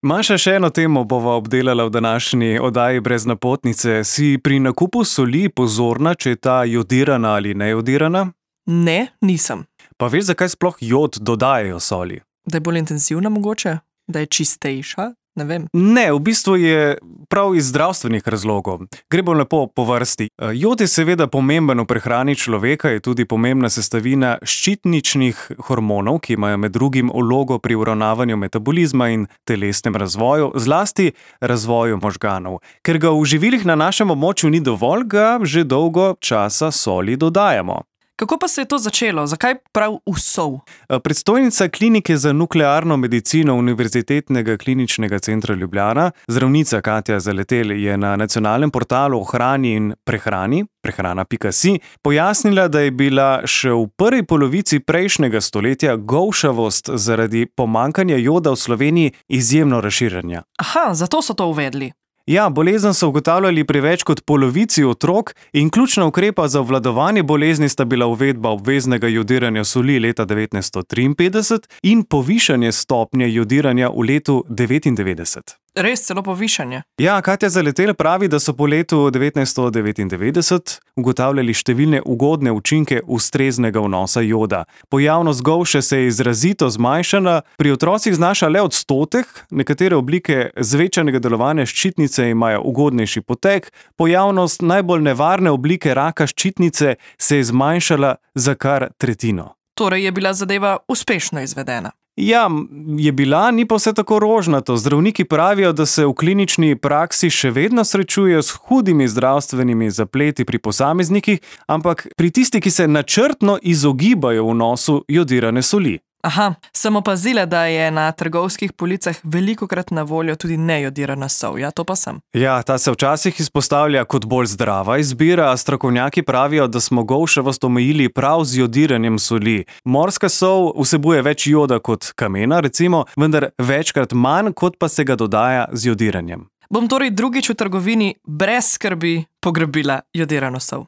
Maša, še eno temo bova obdelala v današnji oddaji Brez napotnice. Si pri nakupu soli pozorna, če je ta jodirana ali nejodirana? Ne, nisem. Pa veš, zakaj sploh jod dodajajo soli? Da je bolj intenzivna mogoče? Da je čistejša? Ne vem. Ne, v bistvu je prav iz zdravstvenih razlogov. Gre bolj lepo po vrsti. Jod je seveda pomemben v prehrani človeka, je tudi pomembna sestavina ščitničnih hormonov, ki imajo med drugim vlogo pri uravnavanju metabolizma in telesnem razvoju, zlasti razvoju možganov. Ker ga v živilih na našem območju ni dovolj, ga že dolgo časa soli dodajamo. Kako pa se je to začelo? Zakaj prav v sol? Predstojnica klinike za nuklearno medicino Univerzitetnega kliničnega centra Ljubljana, zdravnica Katja Zaletelj, je na nacionalnem portalu o hrani in prehrani, prehrana.si, pojasnila, da je bila še v prvi polovici prejšnjega stoletja golšavost zaradi pomanjkanja joda v Sloveniji izjemno razširjena. Aha, zato so to uvedli. Ja, bolezen so ugotavljali pri več kot polovici otrok in ključna ukrepa za obvladovanje bolezni sta bila uvedba obveznega jodiranja soli leta 1953 in povišanje stopnje jodiranja v letu 1999. Res celo povišanje? Ja, Katja Zaletelj pravi, da so po letu 1999 ugotavljali številne ugodne učinke ustreznega vnosa joda. Pojavnost golše se je izrazito zmanjšala, pri otrocih znaša le 1%, nekatere oblike zvečanega delovanja ščitnice imajo ugodnejši potek, pojavnost najbolj nevarne oblike raka ščitnice se je zmanjšala za kar tretjino. Torej je bila zadeva uspešno izvedena. Ja, je bila, ni pa vse tako rožnato. Zdravniki pravijo, da se v klinični praksi še vedno srečujejo s hudimi zdravstvenimi zapleti pri posameznikih, ampak pri tistih, ki se načrtno izogibajo vnosu jodirane soli. Aha, sem opazila, da je na trgovskih policah velikokrat na voljo tudi nejodirana sol, ja, to pa sem. Ja, ta se včasih izpostavlja kot bolj zdrava izbira, a strokovnjaki pravijo, da smo golšavost omejili prav z jodiranjem soli. Morska sol vsebuje več joda kot kamena, recimo, vendar večkrat manj, kot pa se ga dodaja z jodiranjem. Bom torej drugič v trgovini brez skrbi pograbila jodirano sol.